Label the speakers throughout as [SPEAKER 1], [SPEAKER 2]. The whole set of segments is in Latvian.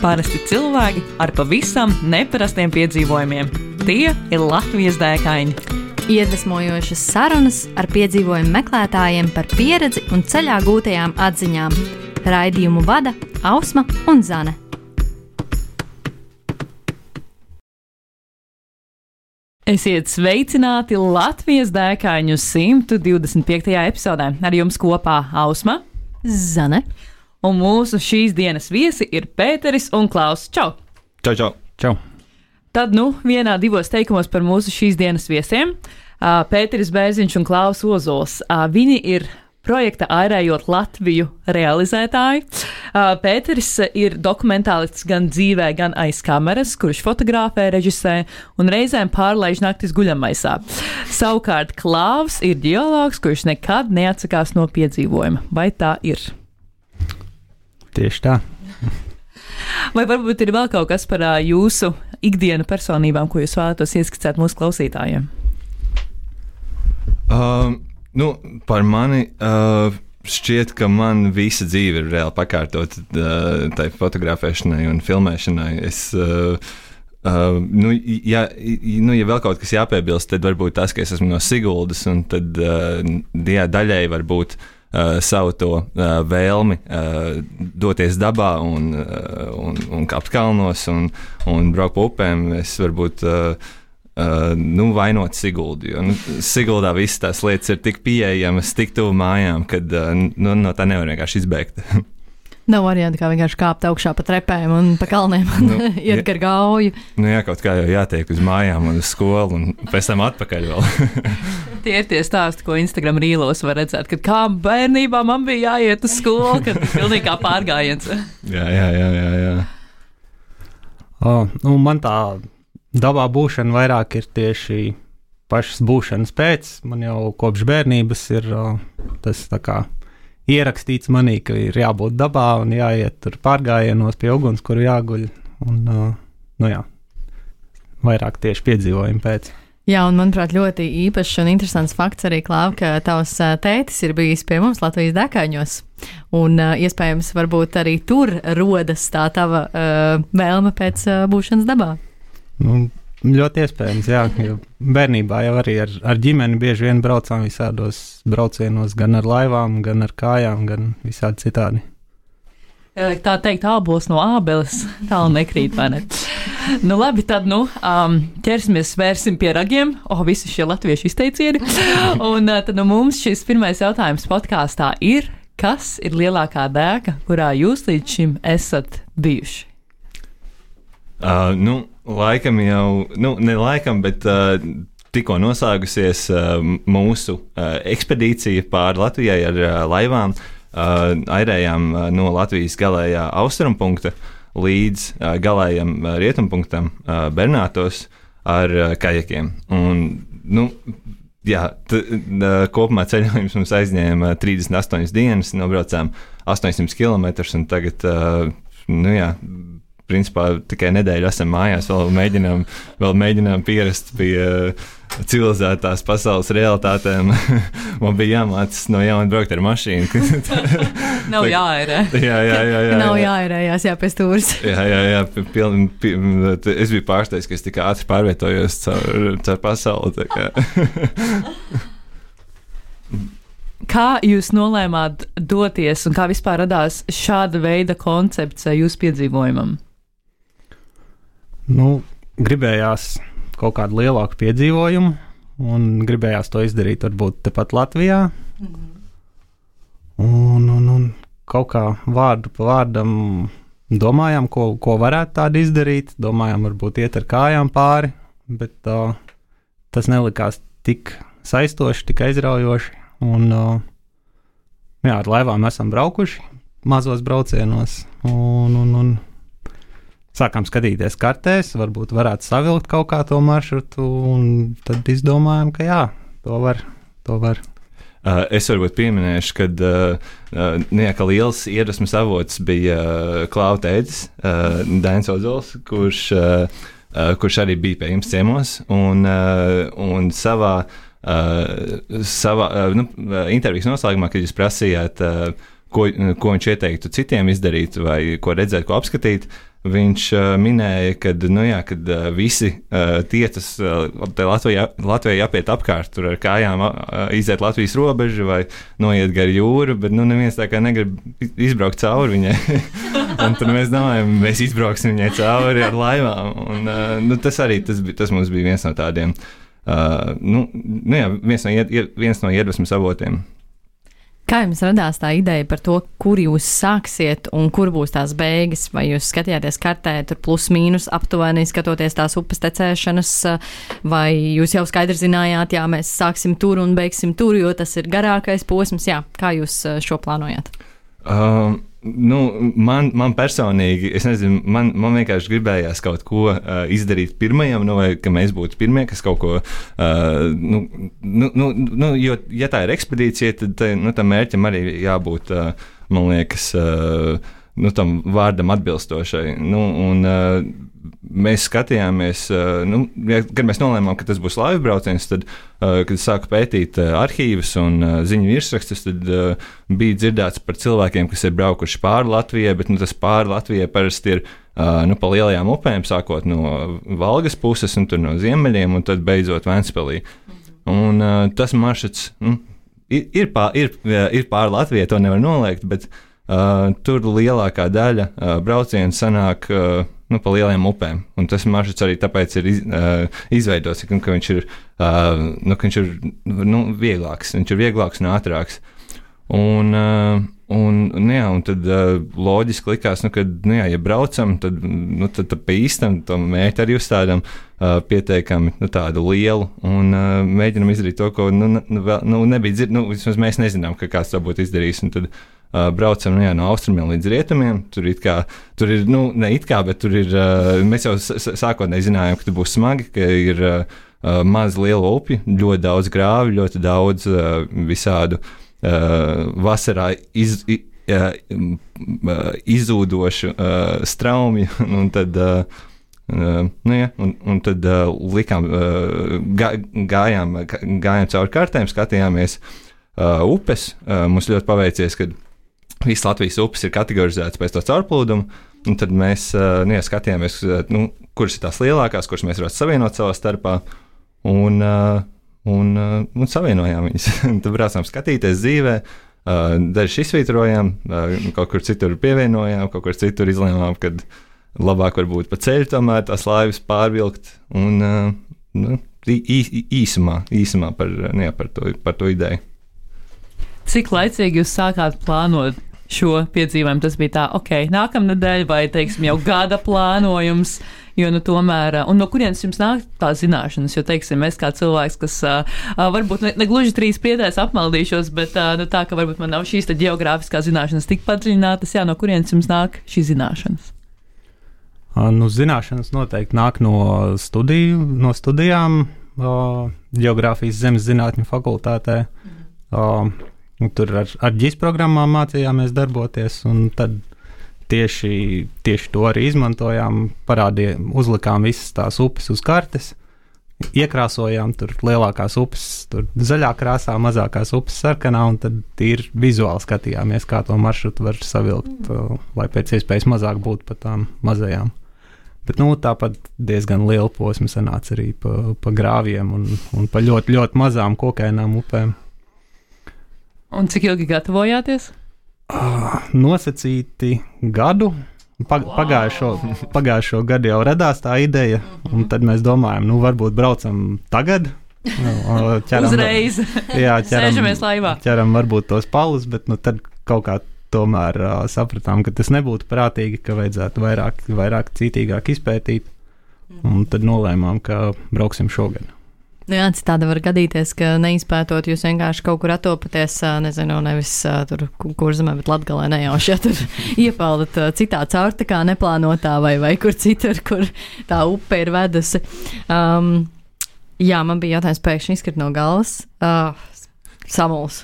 [SPEAKER 1] Parasti cilvēki ar pavisam neparastiem piedzīvojumiem. Tie ir Latvijas dēkaini.
[SPEAKER 2] Iedvesmojošas sarunas ar piedzīvojumu meklētājiem par pieredzi un ceļā gūtajām atziņām. Raidījumu vada Ausma un Zane.
[SPEAKER 1] Esiet sveicināti Latvijas dēkaņu 125. epizodē. Ar jums kopā Ausma,
[SPEAKER 2] Zane.
[SPEAKER 1] Un mūsu šīs dienas viesi ir Pēteris un Klaus. Čau!
[SPEAKER 3] Čau, čau!
[SPEAKER 4] Čau!
[SPEAKER 1] Tad, vienā divos teikumos par mūsu šīs dienas viesiem. Pēteris Bērziņš un Klaus Ozols. Viņi ir projekta Airējot Latviju realizētāji. Pēteris ir dokumentālists gan dzīvē, gan aiz kameras, kurš fotografē, režisē un reizēm pārlaiž naktis guļamaisā. Savukārt Klaus ir ģeologs, kurš nekad neatsakās no piedzīvojuma. Vai tā ir?
[SPEAKER 4] Tieši tā.
[SPEAKER 1] Vai varbūt ir vēl kaut kas par jūsu ikdienu personībām, ko jūs vēlētos ieskicēt mūsu klausītājiem?
[SPEAKER 3] Par mani šķiet, ka man visa dzīve ir reāli pakārtota tai fotografēšanai un filmēšanai. Ja vēl kaut kas jāpiebilst, tad varbūt tas, ka es esmu no Siguldas, un tad daļēji varbūt savu to vēlmi doties dabā un kāpt kalnos un braukt pa upēm. Es varbūt vainot Siguldu, jo Siguldā visas tās lietas ir tik pieejamas, tik tuvu mājām, kad no tā nevar vienkārši izbēgt.
[SPEAKER 2] Nav varianti, kā vienkārši kāpt augšā pa trepēm un pa kalniem un iet gar gauju.
[SPEAKER 3] Jā, kaut kā jau jātiek uz mājām un uz skolu un pēc tam atpakaļ vēl.
[SPEAKER 1] Tie ir tie stāsti, ko Instagram rīlos var redzēt, kad kā bērnībā man bija jāiet uz skolu, kad pilnīgi kā pārgājiens.
[SPEAKER 3] Jā.
[SPEAKER 4] Man tā dabā būšana vairāk ir tieši pašas būšanas pēc. Man jau kopš bērnības ir tas tā kā ierakstīts manī, ka ir jābūt dabā un jāiet tur pārgājienos pie uguns, kur jāguļ. Un, vairāk tieši piedzīvojumi pēc.
[SPEAKER 2] Jā, un manuprāt, ļoti īpašs un interesants fakts arī, Klau, ka tavs tētis ir bijis pie mums Latvijas dēkaņos. Un iespējams, varbūt arī tur rodas tā tava vēlme pēc būšanas dabā.
[SPEAKER 4] Ļoti iespējams, jā. Bērnībā jau arī ar ģimeni bieži vien braucām visādos braucienos, gan ar laivām, gan ar kājām, gan visādi citādi.
[SPEAKER 1] Tā teikt, ābols no ābeles tālu nekrīt, vai ne? Labi, tad ķersimies, vērsim pie ragiem. Visi šie latviešu izteicieni. Un tad mums šis pirmais jautājums podkāstā ir, kas ir lielākā dēka, kurā jūs līdz šim esat bijuši?
[SPEAKER 3] Laikam jau, ne laikam, bet tikko noslēgusies mūsu ekspedīcija pāri Latvijai ar laivām. Airējām no Latvijas galējā austrumpunkta līdz galējam rietumpunktam Bernātos ar kajakiem. Un, kopumā ceļojums mums aizņēma 38 dienas, nobraucām 800 km un tagad, principā tikai nedēļu esam mājās, vēl mēģinām pierast pie civilizētās pasaules realitātēm. Man bija jāmācās no jauna braukt ar mašīnu.
[SPEAKER 1] Nav jāērē.
[SPEAKER 3] Jā.
[SPEAKER 2] Nav jāērējās, pie stūres.
[SPEAKER 3] Jā. Es biju pārsteigts, ka es tik ātri pārvietojos caur pasauli.
[SPEAKER 1] Kā jūs nolēmāt doties un kā vispār radās šāda veida koncepts jūsu piedzīvojumam?
[SPEAKER 4] Gribējās kaut kādu lielāku piedzīvojumu un gribējās to izdarīt varbūt tepat Latvijā. Un kaut kā vārdu pa vārdam domājām, ko varētu tādu izdarīt. Domājām, varbūt iet ar kājām pāri, bet tas nelikās tik saistoši, tik aizraujoši. Un, ar laivām esam braukuši mazos braucienos un sākām skatīties kartēs, varbūt varētu savilkt kaut kā to maršrutu, un tad izdomājām, ka jā, to var.
[SPEAKER 3] Es varbūt pieminēšu, ka liels iedvesmas avots bija Klau tētis, Dainis Ozols, kurš arī bija pie jums ciemos, un savā intervijas noslēgumā, kad jūs prasījāt, ko viņš ieteiktu citiem izdarīt, vai ko redzēt, ko apskatīt. Viņš minēja, kad visi tiecas Latvijai jāpiet apkārt, tur ar kājām iziet Latvijas robežu vai noiet gar jūru, bet neviens tā kā negrib izbraukt cauri viņai. Un tad mēs domājam, mēs izbrauksim viņai cauri ar laivām. Un, tas mums bija viens no tādiem, viens no iedvesmas avotiem.
[SPEAKER 2] Kā jums radās tā ideja par to, kur jūs sāksiet un kur būs tās beigas? Vai jūs skatījāties kartē, tur plus mīnus aptuveni skatoties tās upes tecēšanas, vai jūs jau skaidri zinājāt, jā, mēs sāksim tur un beigsim tur, jo tas ir garākais posms? Jā, kā jūs šo plānojāt?
[SPEAKER 3] Man personīgi, es nezinu, man vienkārši gribējās kaut ko izdarīt pirmajam, vai ka mēs būtu pirmie, kas kaut ko, jo, ja tā ir ekspedīcija, tad tam mērķim arī jābūt, man liekas, tam vārdam atbilstošai. Mēs skatījāmies, kad mēs nolēmām, ka tas būs laivu brauciens, tad, kad sāku pētīt arhīvus un ziņu virsrakstus, tad bija dzirdēts par cilvēkiem, kas ir braukuši pāri Latvijai, bet tas pāri Latvijai parasti ir pa lielajām upēm, sākot no Valgas puses un tur no ziemeļiem, un tad beidzot Ventspilī. Un tas maršruts ir pāri Latvijai, to nevar noliegt, bet tur lielākā daļa braucienu sanāk pa lielajām upēm. Un tas maršruts arī tāpēc ir izveidots, ka viņš ir, vieglāks. Viņš ir vieglāks un ātrāks. Un tad loģiski likās, ja braucam, tad pa īstam to mērķi arī uzstādām pietiekami tādu lielu un mēģinam izdarīt to, ko nebija dzirdēts. Vismaz mēs nezinām, ka kāds to būtu izdarījis. Un tad braucam no austrumiem līdz rietumiem. Tur ir, bet tur ir, mēs jau sākotnēji zinājām, ka tur būs smagi, ka ir maz lielu upju, ļoti daudz grāvi, ļoti daudz visādu vasarā izzūdošu straumju, un tad, tad likām, gājām cauri kartēm, skatījāmies upes. Mums ļoti paveicies, ka visas Latvijas upes ir kategorizētas pēc to caurplūdumu, un tad mēs skatījāmies, kuras ir tās lielākās, kuras mēs varētu savienot savā starpā, un savienojām viņas. Tad braucām skatīties dzīvē, dažas izsvītrojām, kaut kur citur pievienojām, kaut kur citur izlēmām, kad labāk varbūt pa ceļu tomēr tās laivas pārvilkt, un īsumā par to ideju.
[SPEAKER 1] Cik laicīgi jūs sākāt plānot šo piedzīvojumu? Tas bija tā, nākamnedēļ vai, teiksim, jau gada plānojums, jo, tomēr, un no kurienes jums nāk tās zināšanas, jo, teiksim, es kā cilvēks, kas varbūt ne gluži 3 priedēs apmaldīšos, bet tā, ka varbūt man nav šīs ģeogrāfiskās zināšanas tik padziļinātas, no kurienes jums nāk šīs zināšanas?
[SPEAKER 4] Zināšanas noteikti nāk no studijām, ģeogrāfijas zemes zinātņu fakultātē. Tur ar GIS programmām mācījāmies darboties, un tad tieši to arī izmantojām, uzlikām visas tās upes uz kartes, iekrāsojām tur lielākās upes, tur zaļā krāsā, mazākās upes sarkanā, un tad ir vizuāli skatījāmies, kā to maršrutu var savilkt, lai pēc iespējas mazāk būtu pa tām mazajām. Bet tāpat diezgan liela posma sanāca arī pa grāviem un pa ļoti, ļoti mazām kokainām upēm.
[SPEAKER 1] Un cik ilgi gatavojāties?
[SPEAKER 4] Nosacīti gadu. Pagājušo gadu jau radās tā ideja, un tad mēs domājam, varbūt braucam tagad.
[SPEAKER 1] Uzreiz.
[SPEAKER 4] Jā,
[SPEAKER 1] sēžamies laivā.
[SPEAKER 4] Ķeram varbūt tos palus, bet tad kaut kā tomēr sapratām, ka tas nebūtu prātīgi, ka vajadzētu vairāk cītīgāk izpētīt, un tad nolēmām, ka brauksim šogad.
[SPEAKER 2] Jā, citādi var gadīties, ka neizpētot, jūs vienkārši kaut kur atopaties, nevis tur Kurzemē, bet Latgalē nejauši, tur iepeldat citā caurtakā neplānotā vai kur citur, kur tā upe ir vedusi. Jā, man bija jautājums pēkšņi izkrit no galvas. Samuls.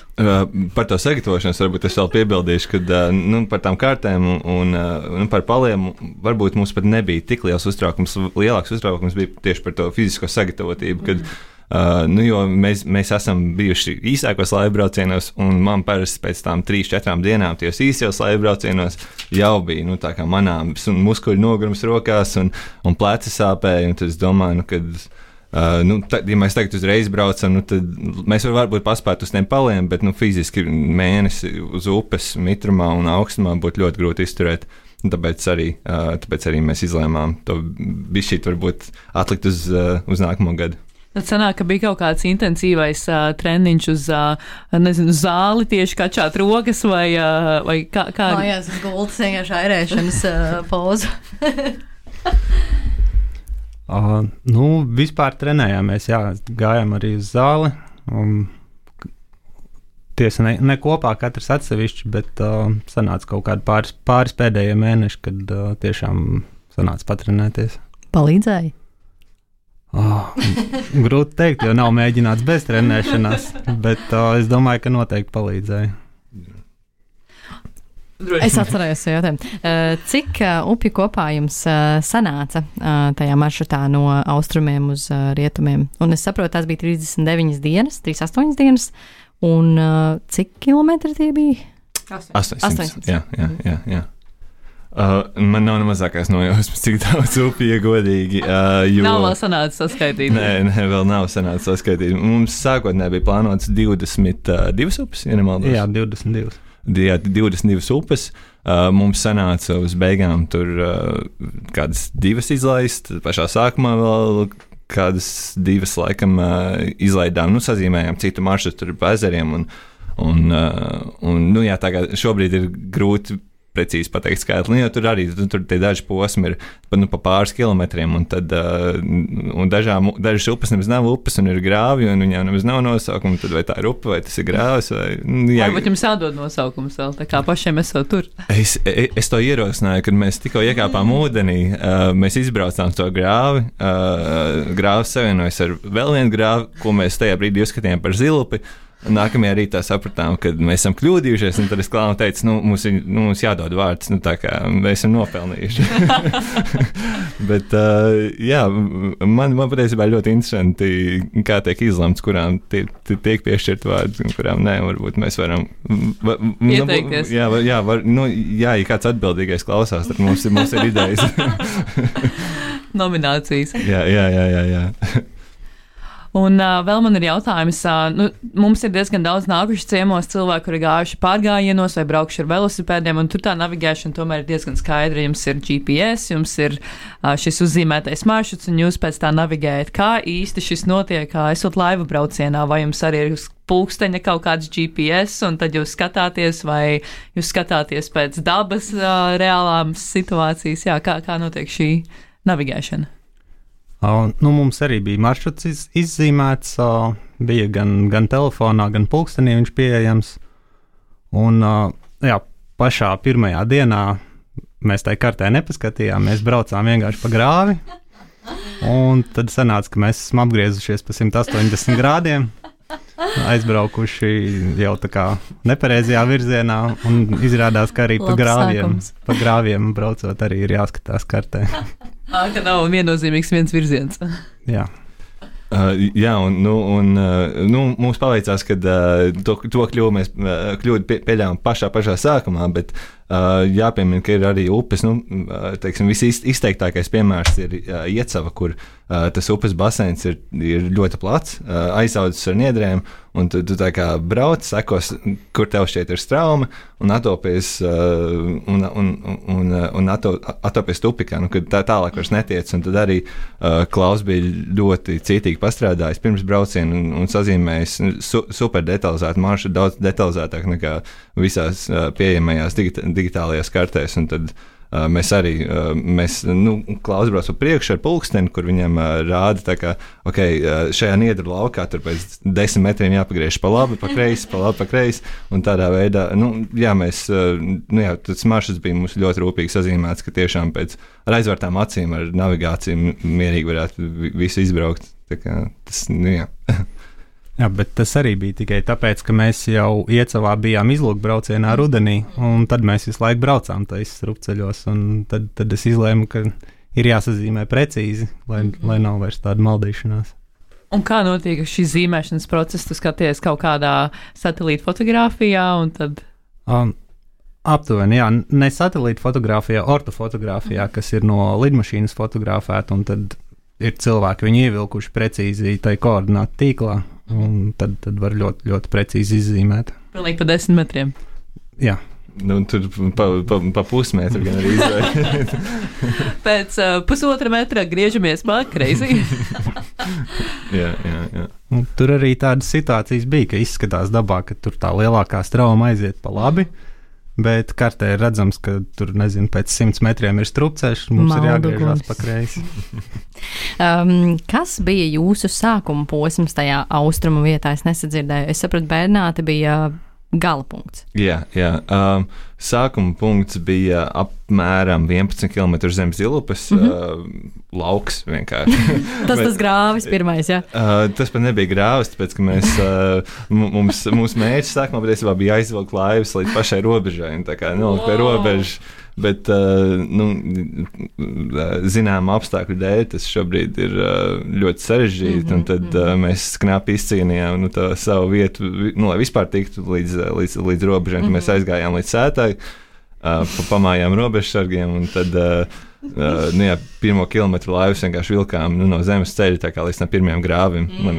[SPEAKER 3] Par to sagatavošanos varbūt es vēl piebildīšu, ka par tām kārtēm un par paliem varbūt mums pat nebija tik liels uztraukums. Lielāks uztraukums bija tieši par to fizisko sagatavotību, kad Jo mēs esam bijuši īsākos laivu braucienos, un man parasti pēc tām 3-4 dienām tajos īsajos laivu braucienos jau bija tā kā manāms muskuļu nogurums rokās un pleci sāpēja. Tad es domāju, kad ja mēs tagad uzreiz braucam, tad mēs varbūt paspētu uz tiem paliem, bet fiziski mēnesi uz upes mitrumā un augstumā būtu ļoti grūti izturēt. Tāpēc arī mēs izlēmām to bišķīt varbūt atlikt uz nākamo gadu.
[SPEAKER 1] Tad sanāk, ka bija kaut kāds intensīvais treniņš uz zāli, tieši kačāt rokas vai kā?
[SPEAKER 2] Mājās uz gultas vienkārši airēšanas pozu.
[SPEAKER 4] Vispār trenējāmies, gājām arī uz zāli. Tiesa ne kopā, katrs atsevišķi, bet sanāca kaut kādi pāris pēdējie mēneši, kad tiešām sanāca patrenēties.
[SPEAKER 2] Palīdzēja?
[SPEAKER 4] Grūti teikt, jo nav mēģināts bez trenēšanās, bet es domāju, ka noteikti palīdzēja.
[SPEAKER 2] Es atcerējos šo jautājumu. Cik upju kopā jums sanāca tajā maršrutā no austrumiem uz rietumiem? Un es saprotu, tās bija 39 dienas, 38 dienas, un cik kilometri tie bija?
[SPEAKER 3] 800. Jā. Man nav mazākās nojausmas, cik daudz upju, ja godīgi.
[SPEAKER 1] Nav vēl sanācis saskaitīt.
[SPEAKER 3] Nē, vēl nav sanācis saskaitīt. Mums sākotnēji bija plānots 22 upes, ja nemaldos.
[SPEAKER 4] Jā, 22.
[SPEAKER 3] 22 upes. Mums sanāca uz beigām tur kādas 2 izlaist, pašā sākumā vēl kādas 2 laikam izlaidām, sazīmējām citu maršrutu tur pa ezeriem un tā kā šobrīd ir grūti precīzi pateikt skaitli, jo tur arī tur tie daži posmi ir pa pāris kilometriem, un tad dažas upes nemaz nav upes un ir grāvi, un viņām nemaz nav nosaukuma, tad vai tā ir upe, vai tas ir grāvis, vai...
[SPEAKER 1] Varbūt jums jādod nosaukums vēl, tā kā pašiem esot tur.
[SPEAKER 3] Es to ierosināju, kad mēs tikko iekāpām ūdenī, mēs izbraucām to grāvi, grāvis savienojas ar vēl vienu grāvi, ko mēs tajā brīdī uzskatījām par zilupi. Nākamajā rītā sapratām, ka mēs esam kļūdījušies, un tad es klānu teicu, mums jādod vārds, tā kā mēs esam nopelnījuši. Bet, man patiesībā ļoti interesanti, kā tiek izlemts, kurām tiek piešķirt vārds, un kurām nē, varbūt mēs varam...
[SPEAKER 1] Ieteikties.
[SPEAKER 3] Ja kāds atbildīgais klausās, tad mums ir idejas.
[SPEAKER 1] Nominācijas.
[SPEAKER 3] Jā.
[SPEAKER 1] Un vēl man ir jautājums, mums ir diezgan daudz nākuši ciemos cilvēki, kuri gājuši pārgājienos vai braukuši ar velosipēdiem, un tur tā navigēšana tomēr ir diezgan skaidra. Jums ir GPS, jums ir šis uzzīmētais maršruts, un jūs pēc tā navigējat. Kā īsti šis notiek, esot laivu braucienā, vai jums arī ir uz pulksteņa kaut kāds GPS, un tad jūs skatāties, vai jūs skatāties pēc dabas reālām situācijas? Jā, kā notiek šī navigēšana?
[SPEAKER 4] Mums arī bija maršruts izzīmēts, bija gan telefonā, gan pulkstenī viņš pieejams. Un pašā pirmajā dienā mēs tai kartē nepaskatījām, mēs braucām vienkārši pa grāvi. Un tad sanāca, ka mēs esam apgriezušies pa 180 grādiem, aizbraukuši jau tā kā nepareizajā virzienā, un izrādās, ka arī pa grāviem braucot arī ir jāskatās kartē.
[SPEAKER 1] Ka nav viennozīmīgs viens virziens.
[SPEAKER 4] Jā.
[SPEAKER 3] Mums paveicās, ka to kļūdu pieļāvām pašā sākumā, bet jāpiemina, ka ir arī upes. Visizteiktākais piemērs ir Iecava, kur tas upes baseins ir ļoti plats, aizaudzis ar niedrēm, un tu tā kā brauc, sekos, kur tev šķiet ir strauma, un atopies tupikā, kad tā tālāk vairs netiec, un tad arī Klaus bija ļoti cītīgi pastrādājis pirms brauciena un sazīmējis super detalizētu maršrutu, daudz detalizētāk nekā visās pieejamajās digitālajās kartēs, un tad mēs arī, Klaus brauc pa priekšu ar pulksteni, kur viņam rāda tā kā, šajā niedru laukā tur pēc 10 metriem jāpagriež pa labi, pa kreisi, pa kreisi, un tādā veidā, tas maršruts bija mums ļoti rūpīgi sazīmēts, ka tiešām pēc ar aizvērtām acīm, ar navigāciju mierīgi varētu visu izbraukt, tā kā tas,
[SPEAKER 4] Jā, bet tas arī bija tikai tāpēc, ka mēs jau Iecavā bijām izlūkbraucienā rudenī, un tad mēs visu laiku braucām tais strupceļos, un tad es izlēmu, ka ir jāsazīmē precīzi, lai nav vairs tāda maldīšanās.
[SPEAKER 1] Un kā notiek šis zīmēšanas process? Tu skaties kaut kādā satelīta fotografijā un tad...
[SPEAKER 4] Aptuveni, jā, ne satelīta fotografijā, ortofotografijā, kas ir no lidmašīnas fotografēta, un tad ir cilvēki, viņi ievilkuši precīzi tai koordinātu tīklā, un tad var ļoti, ļoti precīzi izzīmēt.
[SPEAKER 1] Pilnīgi pa 10 metriem.
[SPEAKER 4] Jā.
[SPEAKER 3] Nu, tur pa pusmetru gan arī izvēlēt.
[SPEAKER 1] Pēc pusotra metra griežamies pa kreisi.
[SPEAKER 3] jā.
[SPEAKER 4] Un tur arī tādas situācijas bija, ka izskatās dabā, ka tur tā lielākā strauma aiziet pa labi, bet kartē ir redzams, ka tur, nezinu, pēc 100 metriem ir strupceļš, mums ir jāgriežās pa kreisi.
[SPEAKER 2] Kas bija jūsu sākuma posms tajā austrumu vietā? Es nesadzirdēju. Es sapratu, Bernāte bija gala punkts.
[SPEAKER 3] Jā. Sākuma punkts bija apmēram 11 km zem Zilupes, lauks vienkārši.
[SPEAKER 2] tas grāvis pirmais, jā?
[SPEAKER 3] Tas pat nebija grāvis, tāpēc, ka mēs, mūsu mērķis sākumā patiesībā bija aizvilkt laivas līdz pašai robežai, un tā kā nolikt pie robežas. Bet, zinām apstākļu dēļ, tas šobrīd ir ļoti sarežģīti, un tad mēs knapi izcīnījām savu vietu, lai vispār tiktu līdz robežai. Tad mēs aizgājām līdz sētai, pamājām robežsargiem, un tad pirmo kilometru laivas vienkārši vilkām no zemes ceļa, tā kā līdz pirmajam grāvim, lai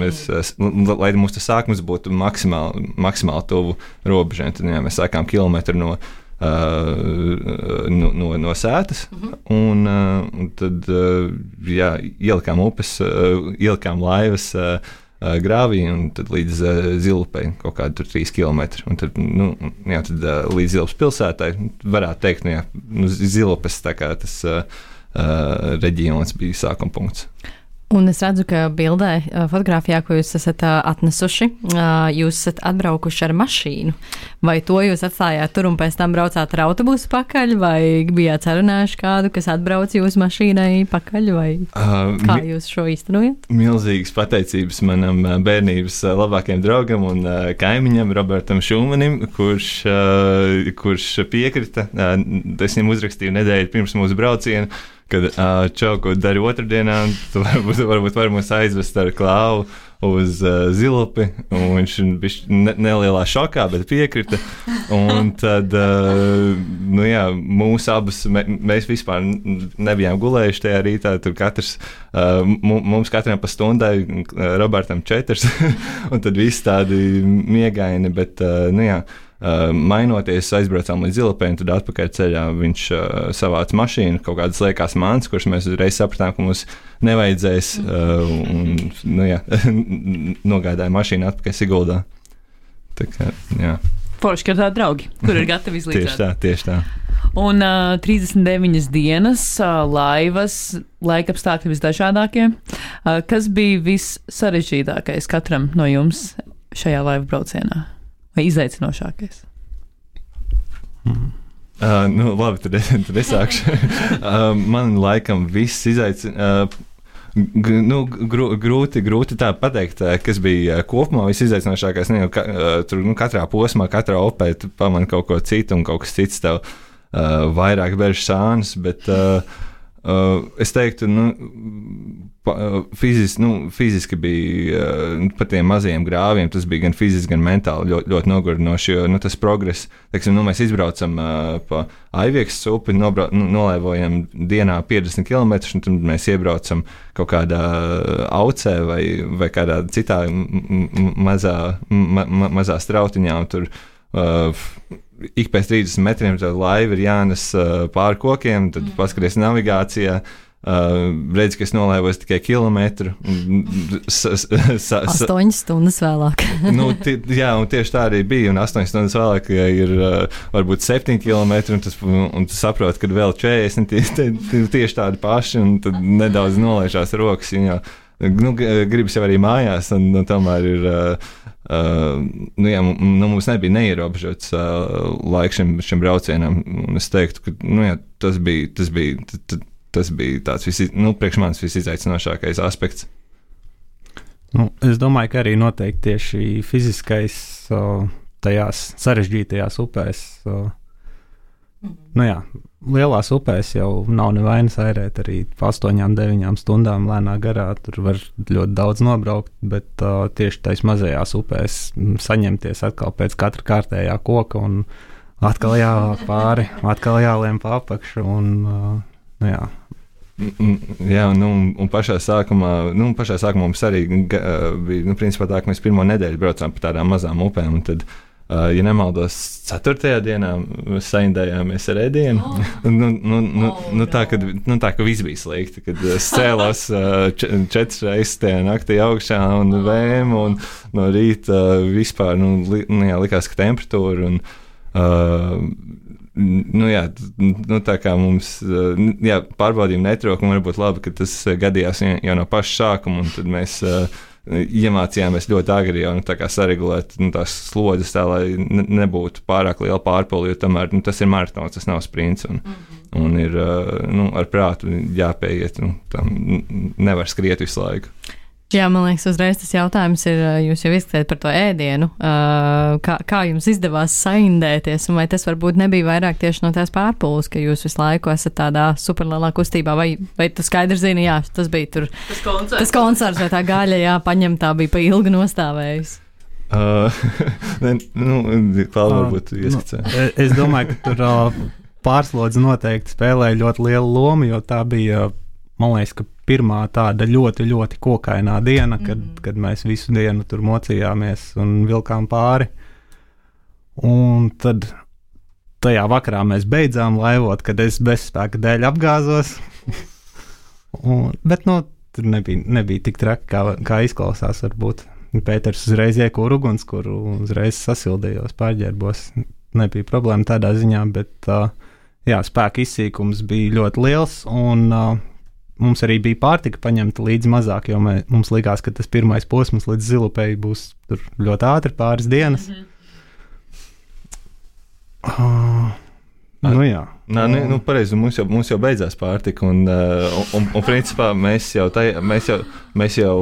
[SPEAKER 3] mums tas sākums būtu maksimāli tuvu robežai. Tad mēs sākām kilometru no sētas, un tad ielikām ielikām laivas grāvī, un tad līdz Zilupei kaut kādi 3 kilometri. Un tad, tad līdz Zilupas pilsētai varētu teikt, Zilupes tā kā tas reģions bija sākuma punkts.
[SPEAKER 2] Un es redzu, ka bildē, fotografijā, ko jūs esat atnesuši, jūs esat atbraukuši ar mašīnu. Vai to jūs atstājāt tur un pēc tam braucāt ar autobusu pakaļ, vai bijāt sarunājuši kādu, kas atbrauc jūsu mašīnai pakaļ, vai kā jūs šo īstenojat?
[SPEAKER 3] Milzīgas pateicības manam bērnības labākajam draugam un kaimiņam Robertam Šumanim, kurš piekrita. Es viņam uzrakstīju nedēļu pirms mūsu brauciena, kad čau, ko dari otrdienā, tu varbūt var mūs aizvest ar Klāvu uz Zilupi, un viņš bija nelielā šokā, bet piekrita. Un tad, mūs abus, mēs vispār nebijām gulējuši tajā rītā, tur mums katram pa stundai, Robertam 4, un tad viss tādi miegaini, bet, mainoties, aizbraucām līdz Zilupei, un tad atpakaļ ceļā viņš savāca mašīnu, kaut kādas liekās mantas, kuras mēs uzreiz sapratām, ka mums nevajadzēs, nogādāja mašīnu atpakaļ Siguldā. Tā kā, jā.
[SPEAKER 1] Forši, ka tādi draugi, kur ir gatavi izlīdzēt.
[SPEAKER 3] Tieši tā.
[SPEAKER 1] Un 39 dienas, laivas, laikapstākļi visdažādākie. Kas bija vissarežģītākais katram no jums šajā laivu braucienā? Vai izaicinošākais?
[SPEAKER 3] Labi, tad es sākšu. Man laikam viss grūti tā pateikt, kas bija kopumā visizaicinošākais. Tur katrā posmā, katrā opē tu pamani kaut ko citu, un kaut kas cits tev vairāk bež sānis, bet es teiktu, fiziski bija par tiem mazajiem grāviem, tas bija gan fiziski, gan mentāli ļoti nogurdinoši, jo tas progress, teiksim, mēs izbraucam pa Aiviekstes upi, nolaivojam dienā 50 km, un tad mēs iebraucam kaut kādā aucē vai kādā citā mazā strautiņā, un tur ik pēc 30 metriem tā laiva ir jānes pāri kokiem, tad paskaties navigācijā, redz, ka es nolaivos tikai kilometru.
[SPEAKER 2] 8 stundas vēlāk.
[SPEAKER 3] Jā, un tieši tā arī bija, un 8 stundas vēlāk ir varbūt 7 kilometri, un tu saproti, ka vēl 40 tieši tādi paši, un tad nedaudz nolaižās rokas, jo gribas jau arī mājās, un tomēr ir mums nebija neierobežots laiks šim braucienam, un es teiktu, ka tas bija tāds priekš manis visizaicinošākais aspekts.
[SPEAKER 4] Es domāju, ka arī noteikti tieši fiziskais tajās sarežģītajās upēs Nu jā, lielās upēs jau nav nevainas airēt arī 8-9 stundām lēnā garā. Tur var ļoti daudz nobraukt, bet tieši tais mazajās upēs saņemties atkal pēc katra kārtējā koka un atkal jāvāk pāri, atkal jāliem pa apakšu un nu jā.
[SPEAKER 3] Jā, un pašā sākumā mums arī bija, principā tā, ka mēs pirmo nedēļu braucām pa tādām mazām upēm, un tad, ja nemaldos, 4. dienā saindējāmies ar ēdienu. Tā, ka viss bija slikti, kad es cēlos 4 reizes tajā naktī augšā un vēmu, un no rīta vispār, likās, ka temperatūra un tā kā mums pārbaudījumi netrūka, un varbūt labi, ka tas gadījās jau no paša sākuma, un tad mēs iemācījāmies ļoti agri jau tā kā saregulēt tās slodzes tā, lai nebūtu pārāk liela pārpildi, jo tomēr tas ir maratons, tas nav sprints, un ir ar prātu jāpieiet, tam nevar skriet visu laiku.
[SPEAKER 2] Jā, man liekas, uzreiz tas jautājums ir, jūs jau izskatījāt par to ēdienu, kā jums izdevās saindēties, un vai tas varbūt nebija vairāk tieši no tās pārpūles, ka jūs visu laiku esat tādā superlielā kustībā, vai tu skaidri zini, jā, tas bija tur tas koncerts, vai tā gaļa, jā, paņemtā bija pa ilgi nostāvējusi?
[SPEAKER 3] Klāva varbūt ieskicē.
[SPEAKER 4] Es domāju, ka tur pārslodze noteikti spēlēja ļoti lielu lomu, jo tā bija, man liekas, ka pirmā tāda ļoti, ļoti kokainā diena, kad mēs visu dienu tur mocījāmies un vilkām pāri. Un tad tajā vakarā mēs beidzām laivot, kad es bezspēka dēļ apgāzos. Bet tur nebija tik traki, kā izklausās varbūt. Pēters uzreiz iekūra ugunskura, uzreiz sasildījos, pārģērbos. Nebija problēma tādā ziņā, bet spēka izsīkums bija ļoti liels, un mums arī bija pārtika paņemta līdz mazāk, jo mums likās, ka tas pirmais posms līdz Zilupei būs tur ļoti ātri pāris dienas. Jā.
[SPEAKER 3] Pareizi, mums jau beidzās pārtika, un principā mēs jau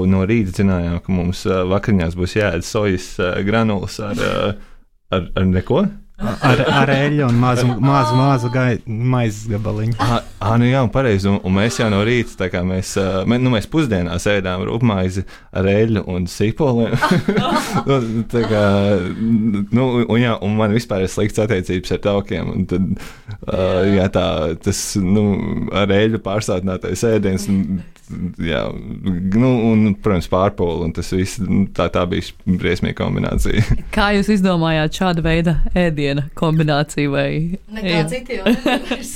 [SPEAKER 3] no rīta zinājām, ka mums vakariņās būs jāēd sojas granulas ar neko.
[SPEAKER 4] Ar eļļu un mazu maizes gabaliņu.
[SPEAKER 3] Jā, un pareizi, un mēs jau no rīta, tā kā mēs pusdienās ēdām rupmaizi ar eļļu un sīpoliem. Un man vispār ir slikts attiecības ar taukiem, un tad, tas, ar eļļu pārsātinātais ēdiens, un, protams, pārpoli, un tas viss, tā bija briesmīga kombinācija.
[SPEAKER 1] Kā jūs izdomājāt šāda veida ēdiena kombināciju vai?
[SPEAKER 2] Nekā citi jau nevairs.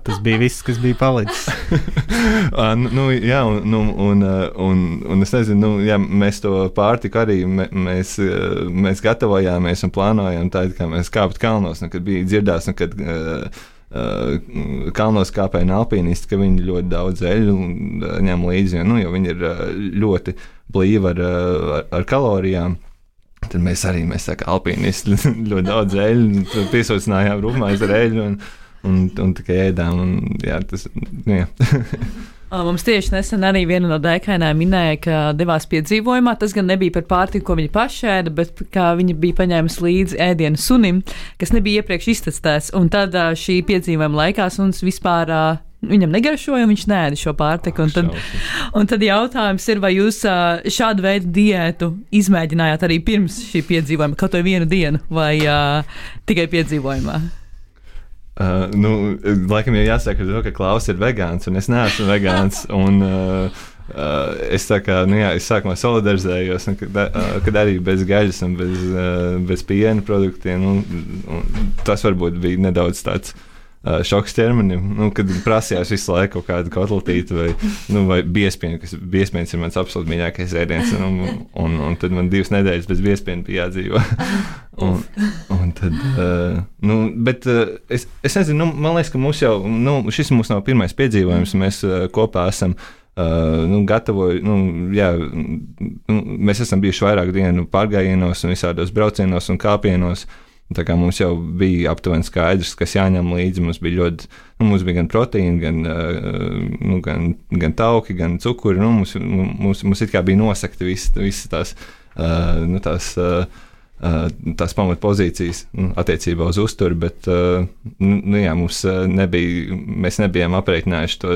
[SPEAKER 4] Tas bija viss, kas bija palicis.
[SPEAKER 3] Un es nezinu, mēs to pārtiku arī, mēs gatavojāmies un plānojām tā, kā mēs kāpt kalnos, kad bija dzirdās, kad kalnos kāpēja alpīnisti, ka viņi ļoti daudz eļļu ņem līdzi, jo viņi ir ļoti blīvi ar kalorijām. Tad mēs tā kā alpīnisti ļoti daudz eļļu piesaucinājām rupmaizi ar eļļu un tikai ēdām.
[SPEAKER 1] Mums tieši nesen arī viena no dēkainēm minēja, ka devās piedzīvojumā. Tas gan nebija par pārtiku, ko viņi paši ēda, bet kā viņi bija paņēmusi līdzi ēdienu sunim, kas nebija iepriekš iztestēts. Un tad šī piedzīvojuma laikā suns vispār viņam negaršoja, un viņš neēda šo pārtiku. Un tad jautājums ir, vai jūs šādu veidu diētu izmēģinājāt arī pirms šī piedzīvojuma, kaut vai vienu dienu, vai tikai piedzīvojumā?
[SPEAKER 3] Laikam jau jāsaka ar to, ka Klaus ir vegāns, un es neesmu vegāns, un es tā kā, es sākumā solidarizējos, kad arī bez gaļas un bez piena produktiem, tas varbūt bija nedaudz tāds šoks ķermenim, kad prasījās visu laiku kaut kādu kotletīti vai biespienu, kas biespienas ir mans absolūti mīļākais ēdiens, un tad man 2 nedēļas bez biespienu bija jādzīvo. Un tad, bet es nezinu, man liekas, ka mums jau, šis mums nav pirmais piedzīvojums, mēs kopā esam mēs esam bijuši vairāk dienu pārgājienos un visādos braucienos un kāpienos. Tā kā mums jau bija aptuveni skaidrs, kas jāņem līdzi, mums bija gan proteīni, gan tauki, gan cukuri, mums it kā bija nosakti visi tās tās pamatpozīcijas attiecībā uz uzturu, bet jā, mēs nebijām aprēķinājuši to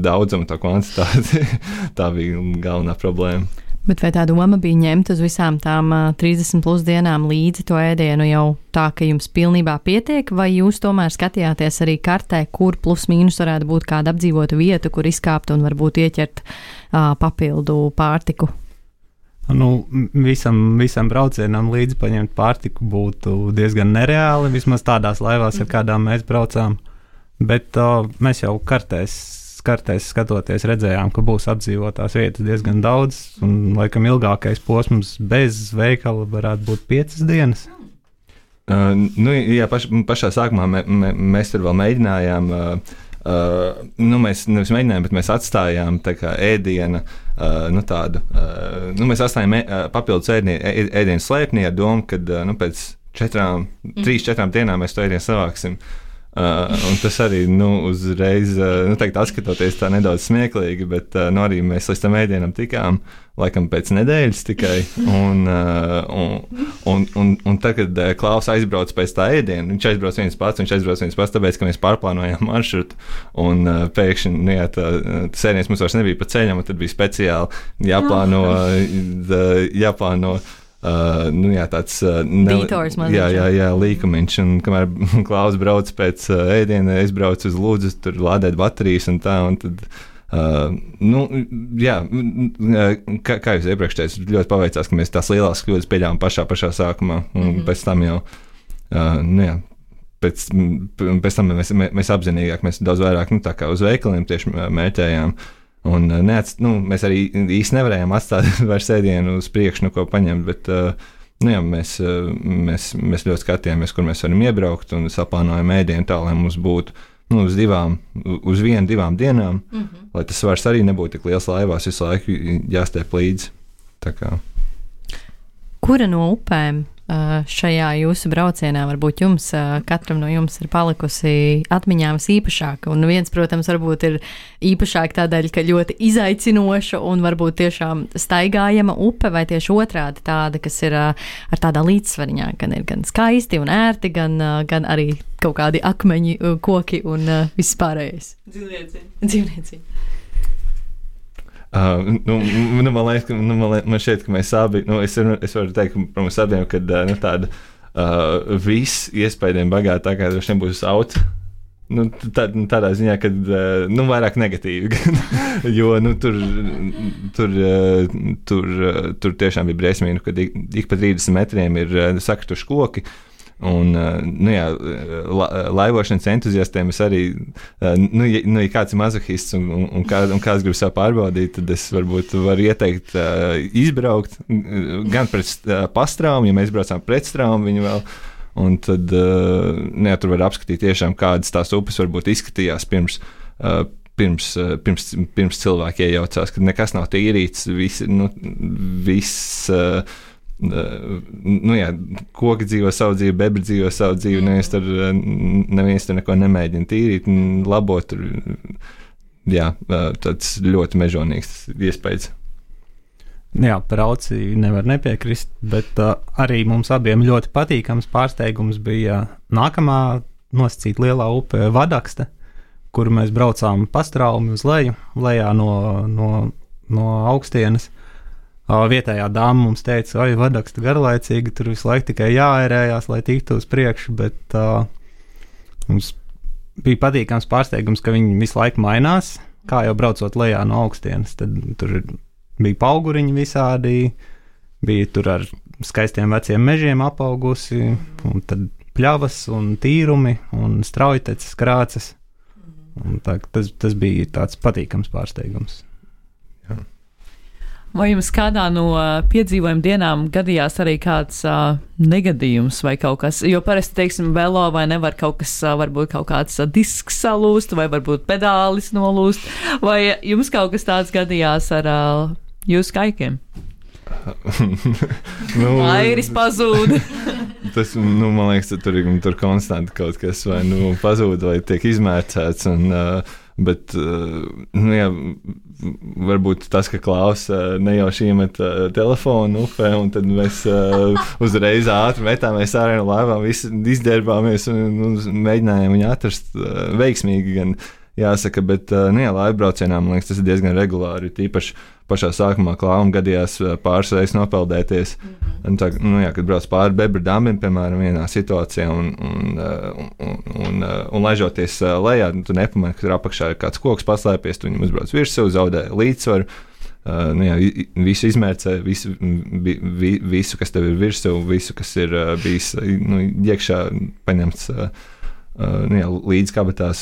[SPEAKER 3] daudzumu, to kvantitāti. Tā bija galvenā problēma.
[SPEAKER 2] Bet vai tā doma bija ņemt uz visām tām 30 plus dienām līdzi to ēdienu jau tā, ka jums pilnībā pietiek, vai jūs tomēr skatījāties arī kartē, kur plus mīnus varētu būt kāda apdzīvota vieta, kur izkāpt un varbūt ieķert papildu pārtiku? Visam braucienam līdzi paņemt pārtiku būtu diezgan nereāli, vismaz tādās laivās, ar kādām mēs braucām, bet mēs jau kartēs skatoties redzējām, ka būs apdzīvotās vietas diezgan daudz, un laikam ilgākais posms bez veikala varētu būt 5 dienas.
[SPEAKER 3] Jā, pašā sākumā mēs tur vēl mēģinājām, mēs nevis mēģinājām, bet mēs atstājām tā kā ēdiena, mēs atstājām papildus ēdienu slēpnī ar domu, ka pēc 3-4 dienām mēs to ēdienu savāksim. Un tas arī uzreiz, teikt, atskatoties tā nedaudz smieklīgi, bet arī mēs līdz tam ēdienam tikām, laikam pēc nedēļas tikai. Un tad, kad Klaus aizbrauc pēc tā ēdiena, viņš aizbrauc viens pats, tāpēc, ka mēs pārplānojām maršrutu, un pēkšņi, tas ēdiens mums vairs nebija pa ceļam, un tad bija speciāli jāplāno tāds
[SPEAKER 2] dītors mazliet.
[SPEAKER 3] Jā, līkumiņš, un kamēr Klaus brauc pēc ēdiena, es braucu uz Lūdzu, tur lādēt baterijas un tā, un tad, kā jūs iepriekš teicu, ļoti paveicās, ka mēs tās lielās kļūdas pieļāvām pašā sākumā, un pēc tam jau, pēc tam mēs apzinīgāk, mēs daudz vairāk, tā kā uz veikaliem tieši mērķējām. Un mēs arī īsti nevarējām atstāt vairs ēdienu uz priekšu, ko paņemt, bet mēs ļoti skatījāmies, kur mēs varam iebraukt un saplānojam ēdienu tā, lai mums būtu uz 1-2 dienām, lai tas svars arī nebūtu tik liels laivās, visu laiku jāstiep līdzi. Tā kā.
[SPEAKER 2] Kura no upēm šajā jūsu braucienā varbūt jums, katram no jums ir palikusi atmiņā visīpašāka? Un viens, protams, varbūt ir īpašāk tādēļ, ka ļoti izaicinoša un varbūt tiešām staigājama upe, vai tieši otrādi tāda, kas ir ar tādā līdzsvariņā, gan ir gan skaisti un ērti, gan arī kaut kādi akmeņi, koki un viss pārējais. Dzīvniecība.
[SPEAKER 3] Man šķiet, ka mēs abi, es varu teikt par mums abiem, ka tāda viss iespējami bagātākā droši nebūs auto. Tādā ziņā, ka vairāk negatīvi, jo tur tiešām bija briesmīgi, kad ik pa 30 metriem ir sakrituši koki. Un, laivošanas entuziastiem es arī, ja kāds ir mazohists un kāds grib sev pārbaudīt, tad es varbūt varu ieteikt izbraukt gan pret pastraumu, ja mēs braucām pret straumu viņu vēl, un tad, tur var apskatīt tiešām, kādas tās upes varbūt izskatījās pirms cilvēki iejaucās, kad nekas nav tīrīts, koki dzīvo savu dzīvi, bebri dzīvo savu dzīvi, neviens tur neko nemēģina tīrīt un labot. Tāds ļoti mežonīgs iespējas.
[SPEAKER 4] Jā, par auci nevar nepiekrist, bet arī mums abiem ļoti patīkams pārsteigums bija nākamā nosacīta lielā upe Vadakste, kuru mēs braucām pastraumi uz lejā no augstienes. Vietējā dāma mums teica, oi, Vadaksta garlaicīgi, tur visu laiku tikai jāērējās, lai tiktu uz priekšu, bet mums bija patīkams pārsteigums, ka viņi visu laiku mainās, kā jau braucot lejā no augstienes. Tad tur bija pauguriņi visādi, bija tur ar skaistiem veciem mežiem apaugusi, un tad pļavas un tīrumi un straujteces, krāces. Un tas bija tāds patīkams pārsteigums.
[SPEAKER 1] Vai jums kādā no piedzīvojuma dienām gadījās arī kāds negadījums vai kaut kas? Jo parasti, teiksim, velo vai nevar kaut kas, varbūt kaut kāds disks salūst, vai varbūt pedālis nolūst, vai jums kaut kas tāds gadījās ar jūsu kaikiem? Airis pazūd.
[SPEAKER 3] Tas, man liekas, tur konstanti kaut kas vai pazūd vai tiek izmērcēts, bet varbūt tas, ka Klaus nejauši iemet telefonu upē, un tad mēs uzreiz ātri metāmies ārā no laivām, visi izģērbāmies un mēģinājām viņu atrast veiksmīgi gan. Jāsaka, bet laivbraucienā, man liekas, tas ir diezgan regulāri. Tīpaši pašā sākumā Klāvam gadījās pāris reizes nopeldēties. Kad brauc pāri Bebra dambim, piemēram, vienā situācijā un laižoties lejā, tu nepamani, ka tur apakšā ir kāds koks paslēpies, tu viņam uzbrauc virsū, zaudē līdzsvaru. Visu izmērcē, visu, kas tev ir virsū, visu, kas ir bijis iekšā paņemts līdz kabatās.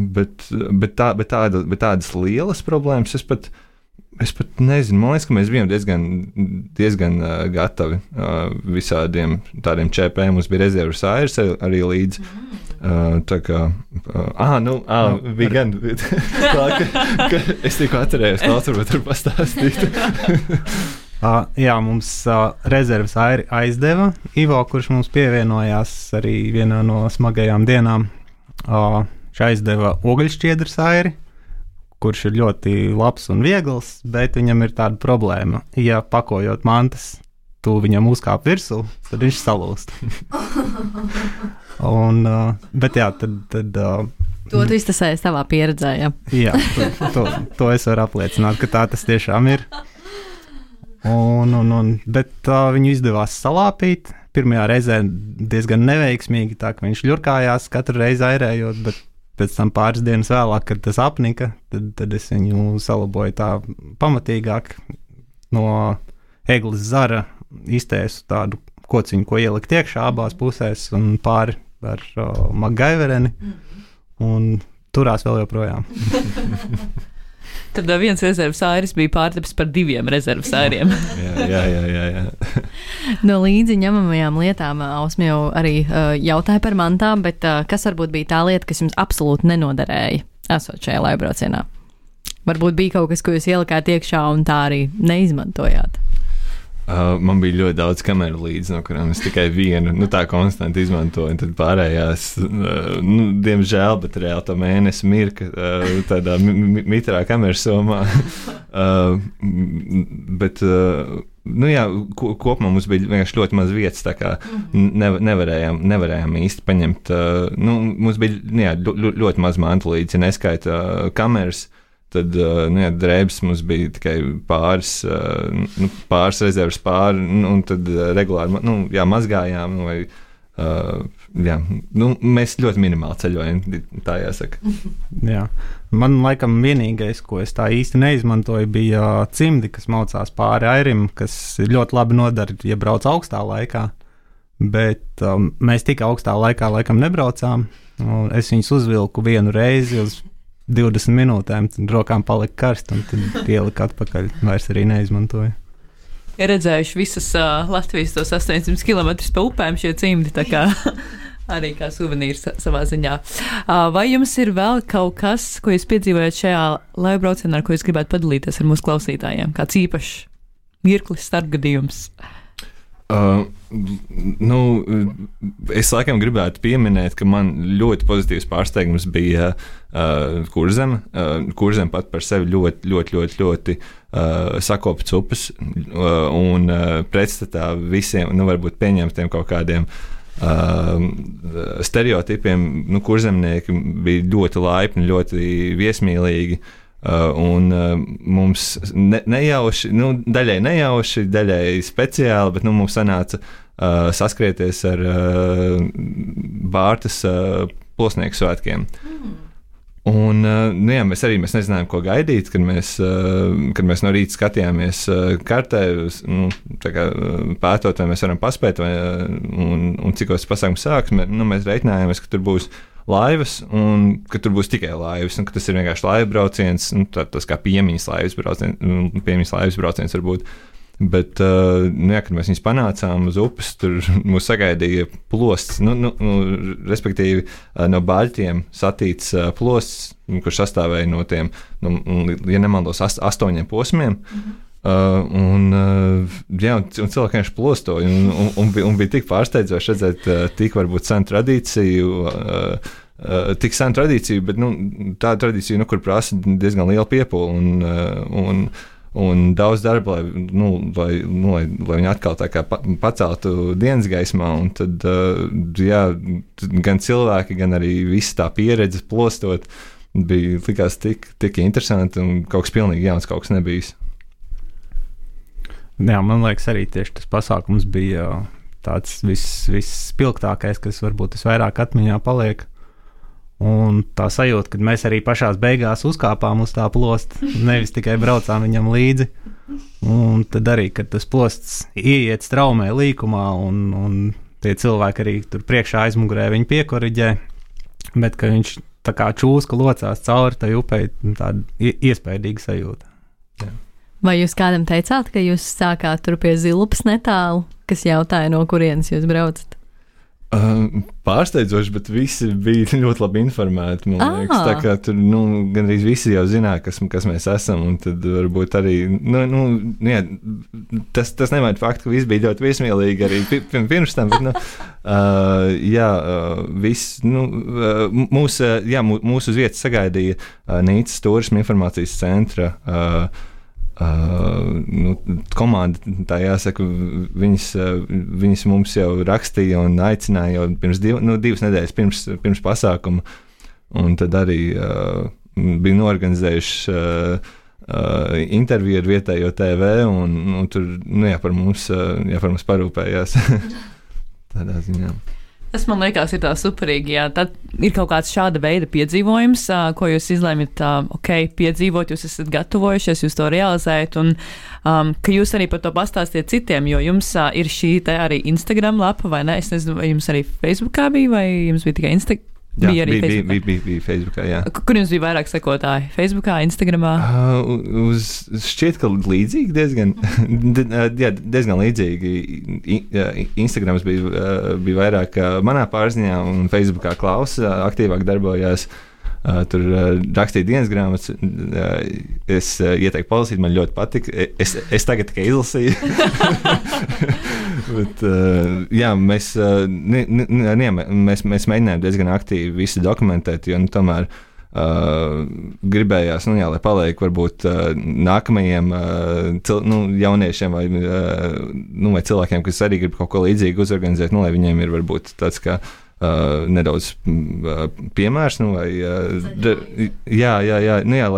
[SPEAKER 3] Bet tādas lielas problēmas es pat nezinu. Man liekas, ka mēs bijām diezgan gatavi visādiem tādiem ČP. Mums bija rezerves airs arī līdzi. Tā kā bija gan ka es tikko atcerējos, Klauds varbūt tur pastāstīt.
[SPEAKER 4] Jā, mums rezerves airi aizdeva Ivo, kurš mums pievienojās arī vienā no smagajām dienām. Viņš aizdeva ogļšķiedras airi, kurš ir ļoti labs un viegls, bet viņam ir tāda problēma. Ja pakojot mantas, tu viņam uzkāp virsū, tad viņš salūst. Bet jā, tad
[SPEAKER 2] to tu iztasējies tavā pieredzē, ja?
[SPEAKER 4] Jā, to es varu apliecināt, ka tā tas tiešām ir. Bet viņu izdevās salāpīt. Pirmajā reizē diezgan neveiksmīgi, tā ka viņš ļurkājās katru reizi airējot, bet pēc tam pāris dienas vēlāk, kad tas apnika, tad es viņu salaboju tā pamatīgāk. No egles zara iztēsu tādu kociņu, ko ielikt iekšā abās pusēs un pāri ar MacGyvereni un turās vēl joprojām.
[SPEAKER 1] Tad viens rezerves airis bija pārtapis par 2 rezerves airiem.
[SPEAKER 3] Jā.
[SPEAKER 2] No līdzi ņemamajām lietām Ausma jau arī jautāja par mantām, bet kas varbūt bija tā lieta, kas jums absolūti nenoderēja esot šajā laivbraucienā? Varbūt bija kaut kas, ko jūs ielikāt iekšā un tā arī neizmantojāt?
[SPEAKER 3] Man bija ļoti daudz kameru līdzi, no kurām es tikai vienu tā konstanti izmantoju. Tad pārējās, diemžēl, bet reāli to mēnesi mirka tādā mitrā kameras somā. Bet, kopumā mums bija vienkārši ļoti maz vietas, tā kā nevarējām īsti paņemt. Mums bija ļoti maz mantu līdzi, ja neskaita kameras. Tad drēbes mums bija tikai pāris rezerves un tad regulāri mazgājām. Mēs ļoti minimāli ceļojam, tā jāsaka.
[SPEAKER 4] Jā. Man laikam vienīgais, ko es tā īsti neizmantoju, bija cimdi, kas maucās pāri airim, kas ļoti labi nodara, ja brauc augstā laikā. Bet mēs tik augstā laikā laikam nebraucām. Es viņus uzvilku vienu reizi uz 20 minūtēm, tad rokām palika karst, un tad ielika atpakaļ. Vairs arī neizmantoju.
[SPEAKER 1] Ir redzējuši visas Latvijas tos 800 km pa upēm šie cimdi, tā kā arī kā suvenīrs savā ziņā. Vai jums ir vēl kaut kas, ko jūs piedzīvojat šajā laivbraucienā, ar ko jūs gribētu padalīties ar mūsu klausītājiem? Kāds īpašs mirklis, starpgadījums?
[SPEAKER 3] Es laikam gribētu pieminēt, ka man ļoti pozitīvs pārsteigums bija Kurzeme. Kurzeme pat par sevi ļoti sakopts upes un pretstatā visiem, varbūt pieņemtiem kaut kādiem stereotipiem. Kurzemnieki bija ļoti laipni, ļoti viesmīlīgi. Un mums nejauši, daļai nejauši, daļai speciāli, bet mums sanāca saskrieties ar Bārtas plosnieku svētkiem. Un mēs nezinājām, ko gaidīt, kad mēs no rīta skatījāmies kartē, pētot, vai mēs varam paspēt, un cikos pasākums sāks. Mēs reiķinājāmies, ka tur būs laivas, un ka tur būs tikai laivas, un ka tas ir vienkārši laivbrauciens, tas kā piemiņas laivas brauciens varbūt. Bet, kad mēs viņus panācām uz upes, tur mūs sagaidīja plosts, respektīvi no baļķiem satīts plosts, kurš sastāvēja no tiem, ja nemaldos, 8 posmiem. Un cilvēki vienkārši plostoja, un bija tik pārsteidzoši redzēt tik varbūt senu tradīciju, bet tā tradīcija, kur prasa diezgan lielu piepūli un daudz darba, lai viņi atkal tā kā paceltu dienas gaismā, un tad, gan cilvēki, gan arī visa tā pieredze plostot, likās tik interesanti un kaut kas pilnīgi jauns, kaut kas nebijis.
[SPEAKER 4] Jā, man liekas, arī tieši tas pasākums bija tāds vispilgtākais, kas varbūt visvairāk atmiņā paliek. Un tā sajūta, kad mēs arī pašās beigās uzkāpām uz tā plosta, nevis tikai braucām viņam līdzi. Un tad arī, kad tas plosts ieiet straumē līkumā, un tie cilvēki arī tur priekšā aizmugurē viņu piekoriģē, bet ka viņš tā kā čūska locās cauri tai upei, tāda iespaidīga sajūta. Jā.
[SPEAKER 2] Vai jūs kādam teicāt, ka jūs sākāt tur pie Zilupas netālu, kas jautāja, no kurienes jūs braucat?
[SPEAKER 3] Pārsteidzoši, bet visi bija ļoti labi informēti. Man liekas, tā kā tur gandrīz visi jau zināja, kas mēs esam. Un tad varbūt arī jā, tas nevajag faktu, ka visi bija ļoti viesmīlīgi arī pirms tam. Bet, mūsu uz vietas sagaidīja Nīcas turisma informācijas centra komanda, tā jāsaka, viņas mums jau rakstīja un aicināja jau pirms divas nedēļas pirms pasākuma, un tad arī bija norganizējuši interviju ar vietējo TV, un tur par mums parūpējās tādā ziņā.
[SPEAKER 1] Tas man liekas, ir tā superīgi. Jā. Tad ir kaut kāds šāda veida piedzīvojums, ko jūs izlēmat, piedzīvot, jūs esat gatavojušies, jūs to realizējat, un ka jūs arī par to pastāstiet citiem, jo jums ir šī te arī Instagram lapa, vai ne? Es nezinu, vai jums arī Facebookā bija, vai jums bija tikai Instagram?
[SPEAKER 3] Jā, bija Facebookā, jā.
[SPEAKER 1] Kur jums bija vairāk sekotāji? Facebookā, Instagramā?
[SPEAKER 3] Šķiet, ka līdzīgi diezgan līdzīgi. Instagrams bija vairāk manā pārziņā, un Facebookā Klaus aktīvāk darbojās. Tur rakstīja dienas grāmatas. Es ieteiktu palasīt, man ļoti patika. Es tagad tikai izlasīju. Bet, jā, mēs mēģinājām diezgan aktīvi visi dokumentēt, jo tomēr gribējās, lai paliek varbūt nākamajiem jauniešiem vai cilvēkiem, kas arī grib kaut ko līdzīgu uzorganizēt, lai viņiem ir varbūt tāds kā nedaudz piemērs, lai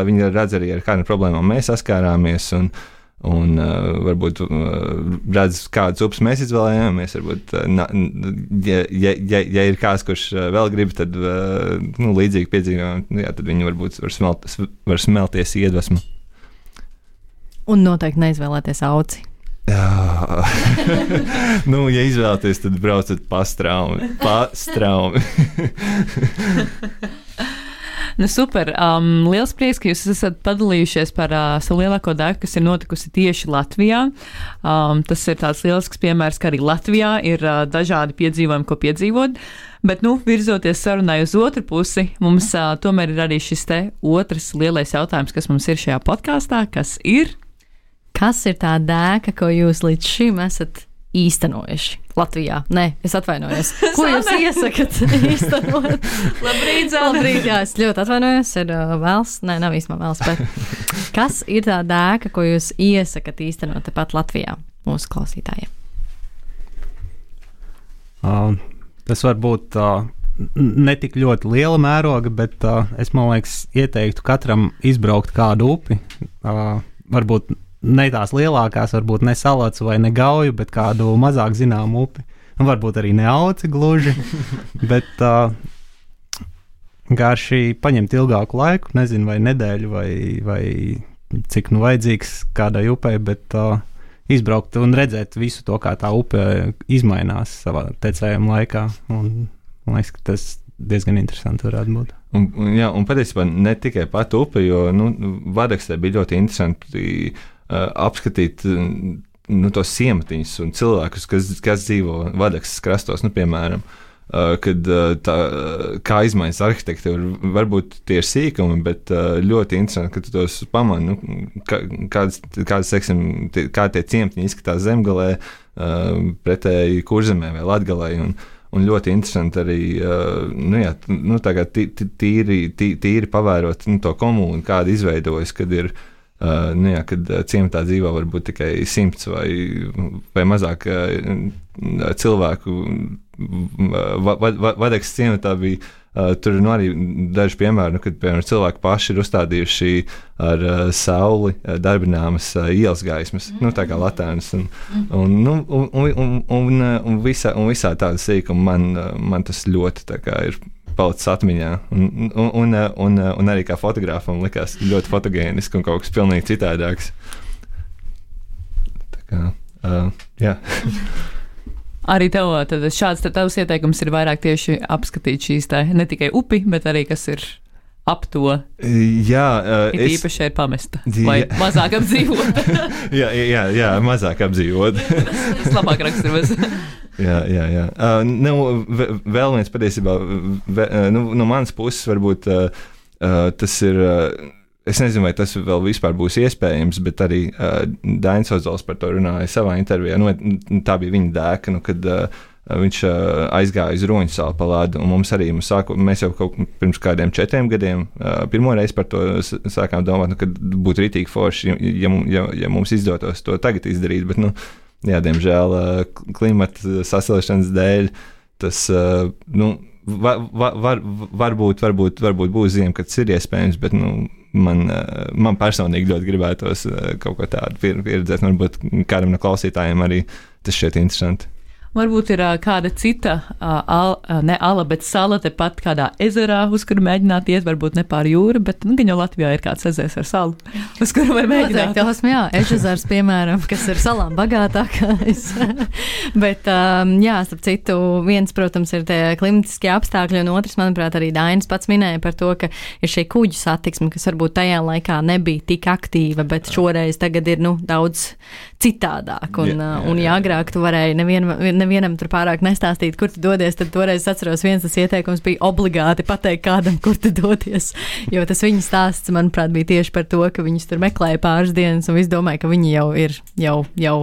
[SPEAKER 3] viņi redz arī, ar kādām problēmām mēs saskārāmies, un varbūt redz, kādas upes mēs izvēlējāmies. Varbūt, ja ir kāds, kurš vēl grib, tad līdzīgi piedzīvojumi, tad viņi varbūt var smelties iedvesmu.
[SPEAKER 2] Un noteikti neizvēlēties auci.
[SPEAKER 3] Ja izvēlaties, tad braucat pastraumi.
[SPEAKER 1] Super. Liels prieks, ka jūs esat padalījušies par savu lielāko daļu, kas ir notikusi tieši Latvijā. Tas ir tāds lielisks piemērs, ka arī Latvijā ir dažādi piedzīvojumi, ko piedzīvot. Bet, virzoties sarunai uz otru pusi, mums tomēr ir arī šis te otrs lielais jautājums, kas mums ir šajā podkāstā, kas ir...
[SPEAKER 2] Kas ir tā dēka, ko jūs līdz šim esat īstenojuši Latvijā? Nē, es atvainojos. Ko jūs iesakat īstenot? Labrīt, jā, es ļoti atvainojos. Ir vēls, nav īstenībā vēls, bet kas ir tā dēka, ko jūs iesakat īstenot tepat Latvijā mūsu klausītājiem?
[SPEAKER 4] Tas var būt ne tik ļoti liela mēroga, bet es, man liekas, ieteiktu katram izbraukt kādu upi. Varbūt ne tās lielākās, varbūt ne Salats vai ne Gauju, bet kādu mazāk zināmu upi. Varbūt arī ne Auci gluži, bet garši paņemt ilgāku laiku, nezinu, vai nedēļu, vai cik vajadzīgs kādai upei, bet izbraukt un redzēt visu to, kā tā upe izmainās savā tecējuma laikā. Un man liekas, ka tas diezgan interesanti varētu būt.
[SPEAKER 3] Un patiesībā ne tikai pat upe, jo Vadakstē bija ļoti interesanti apskatīt tos ciematiņus un cilvēkus, kas dzīvo Vadakstes krastos, piemēram. kad kā izmaiņas arhitektūra, varbūt tie ir sīkumi, bet ļoti interesanti, ka tu tos pamani, kādas teiksim, kā tie ciemtiņi izskatās Zemgalē, pretēji Kurzemē vai Latgalē, un ļoti interesanti arī, tīri pavērot to komūnu, kāda izveidojas, kad ir, kad ciematā dzīvo varbūt tikai 100 vai mazāk cilvēku. Vadekas ciematā bija, tur arī daži piemēri, kad, piemēram, cilvēki paši ir uzstādījuši ar sauli darbināmas ielas gaismas, tā kā latēnas, un visā tāda sīkuma man tas ļoti tā kā ir palicis atmiņā, un arī kā fotogrāfam likās ļoti fotogēniski un kaut kas pilnīgi citādāks. Tā kā, jā.
[SPEAKER 1] Arī tev, tad šāds tavs ieteikums ir vairāk tieši apskatīt šīs ne tikai upi, bet arī kas ir ap to.
[SPEAKER 3] Jā,
[SPEAKER 1] īpaši ir pamesta vai mazāk apdzīvota.
[SPEAKER 3] jā, mazāk apdzīvota.
[SPEAKER 1] Tas labāk raksturos.
[SPEAKER 3] Jā. Vēl viens patiesībā, no manas puses varbūt tas ir, es nezinu, vai tas vēl vispār būs iespējams, bet arī Dainis Ozols par to runāja savā intervijā. Tā bija viņa dēka, kad viņš aizgāja uz Roņu salu pa ledu, un mēs jau kaut pirms kādiem 4 gadiem pirmo reizi par to sākām domāt, kad būtu ritīgi forši, ja mums izdotos to tagad izdarīt, bet, jā, diemžēl klimata sasilšanas dēļ tas, varbūt būs ziema, kad tas ir iespējams, bet, man personīgi ļoti gribētos kaut ko tādu pieredzēt, un varbūt kādam no klausītājiem arī tas šķiet interesanti.
[SPEAKER 1] Varbūt ir kāda cita, ne ala, bet sala tepat kādā ezerā, uz kuru mēģināt iet, varbūt ne pār jūru, bet gan jau Latvijā ir kāds ezers ar salu, uz kuru var mēģināt.
[SPEAKER 2] Jā, Ežezars, piemēram, kas ir salām bagātākais. Bet, jā, starp citu, viens, protams, ir tie klimatiskie apstākļi, un otrs, manuprāt, arī Dainis pats minēja par to, ka ir šī kuģu satiksme, kas varbūt tajā laikā nebija tik aktīva, bet šoreiz tagad ir, daudz citādāk. Un ja agrāk tu varēji nevienam tur pārāk nestāstīt, kur tu dodies, tad toreiz atceros, viens tas ieteikums bija obligāti pateikt kādam, kur tu dodies, jo tas viņa stāsts, manuprāt, bija tieši par to, ka viņus tur meklēja pāris dienas, un viss domāja, ka viņi jau ir jau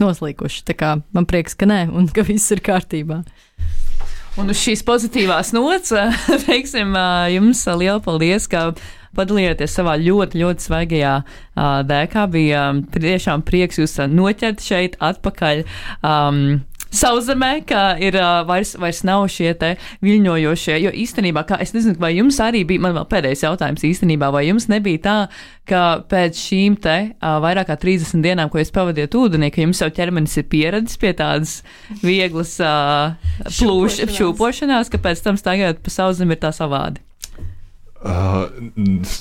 [SPEAKER 2] noslīkuši. Tā kā man prieks, ka nē, un ka viss ir kārtībā.
[SPEAKER 1] Un uz šīs pozitīvās nots, teiksim, jums liela paldies, ka padalījāties savā ļoti, ļoti svaigajā dēkā. Bija tiešām prieks jūs noķert šeit atpakaļ Sauszemē, ka ir vairs nav šie te viļņojošie, jo īstenībā, es nezinu, vai jums arī bija, man vēl pēdējais jautājums īstenībā, vai jums nebija tā, ka pēc šīm te vairāk kā 30 dienām, ko jūs pavadiet ūdenī, ka jums jau ķermenis ir pieredzis pie tādas vieglas šūpošanās, ka pēc tam staigājot pa Sauszemi ir tā savādi?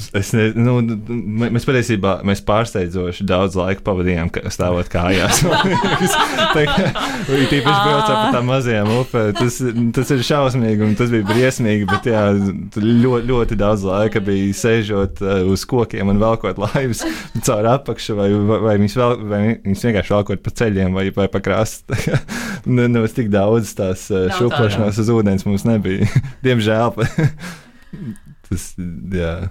[SPEAKER 3] Mēs patiesībā pārsteidzoši daudz laika pavadījām stāvot kājās. Tīpaši braucot pa tām mazajām upēm. Tas ir šausmīgi un tas bija briesmīgi, bet jā, ļoti daudz laika bija sēžot uz kokiem un velkot laivas caur apakšu vai viņus vienkārši velkot pa ceļiem vai pa krastu. Nemaz tik daudz tās šūpošanās uz ūdens mums nebija. Diemžēl. Tas, jā.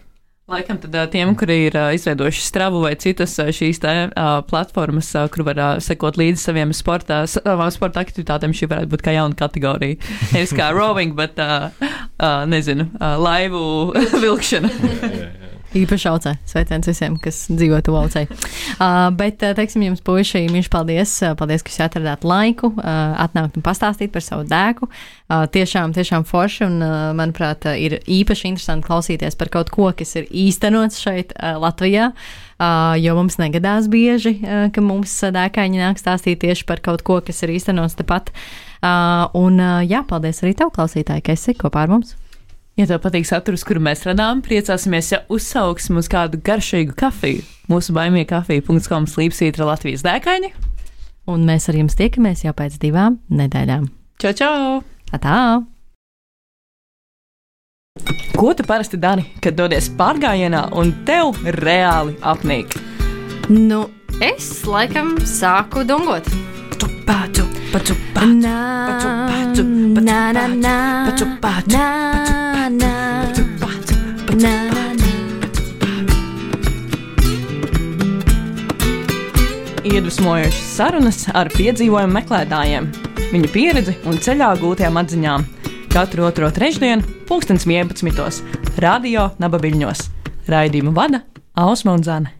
[SPEAKER 1] Laikam tad tiem, kuri ir izveidojuši Stravu vai citas šīs platformas, kur var sekot līdzi savām sporta aktivitātēm, šī varētu būt kā jauna kategorija. Nevis kā rowing, bet, nezinu, laivu vilkšana.
[SPEAKER 2] Jā. Īpaši aucē. Sveiciens visiem, kas dzīvo tuvu aucei. Bet, teiksim, jums puiši, mīļš paldies. Paldies, ka jūs atradāt laiku atnākt un pastāstīt par savu dēku. Tiešām forši un, manuprāt, ir īpaši interesanti klausīties par kaut ko, kas ir īstenots šeit Latvijā, jo mums negadās bieži, ka mums dēkāņi nāk stāstīt tieši par kaut ko, kas ir īstenots tepat. Un, jā, paldies arī tev, klausītāji, ka esi kopā ar mums.
[SPEAKER 1] Ja tev patīk saturs, kuru mēs radām, priecāsimies, ja uzsauksim uz kādu garšīgu kafiju. Mūsu baimiekafija.com slīpsvītra Latvijas dēkaini.
[SPEAKER 2] Un mēs ar jums tiekamies jau pēc 2 nedēļām.
[SPEAKER 1] Čau!
[SPEAKER 2] Atā!
[SPEAKER 1] Ko tu parasti dari, kad dodies pārgājienā un tev reāli apnīk?
[SPEAKER 2] Es laikam sāku dungot.
[SPEAKER 1] Tu. Iedvesmojošas sarunas ar piedzīvojumu meklētājiem, viņu pieredzi un ceļā gūtajām atziņām. Katru otro trešdienu, 11:11. Radio Nabaviļņos. Raidījumu vada Ausma un Zane.